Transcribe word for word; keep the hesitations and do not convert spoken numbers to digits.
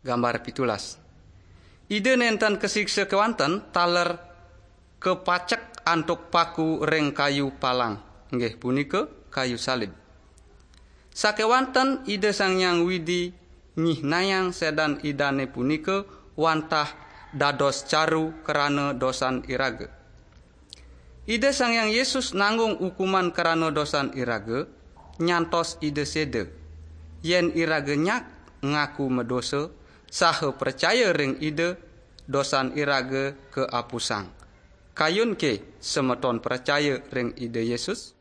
Gambar pitulas. Ida nenten kasiksa kewanten taler kepacek antuk paku ring kayu palang, nggih punika kayu salib. Sakewanten Ida Sang Hyang Widi nyihnayang sedan Idane punika wantah dados caru krana dosan iraga. Ida Sang Hyang Yesus nanggung hukuman krana dosan iraga, nyantos Ida seda. Yen iraga nyak ngaku madosa, saha pracaya ring Ida, dosan iraga kaapusang. Kayun ke semeton pracaya ring Ida Yesus?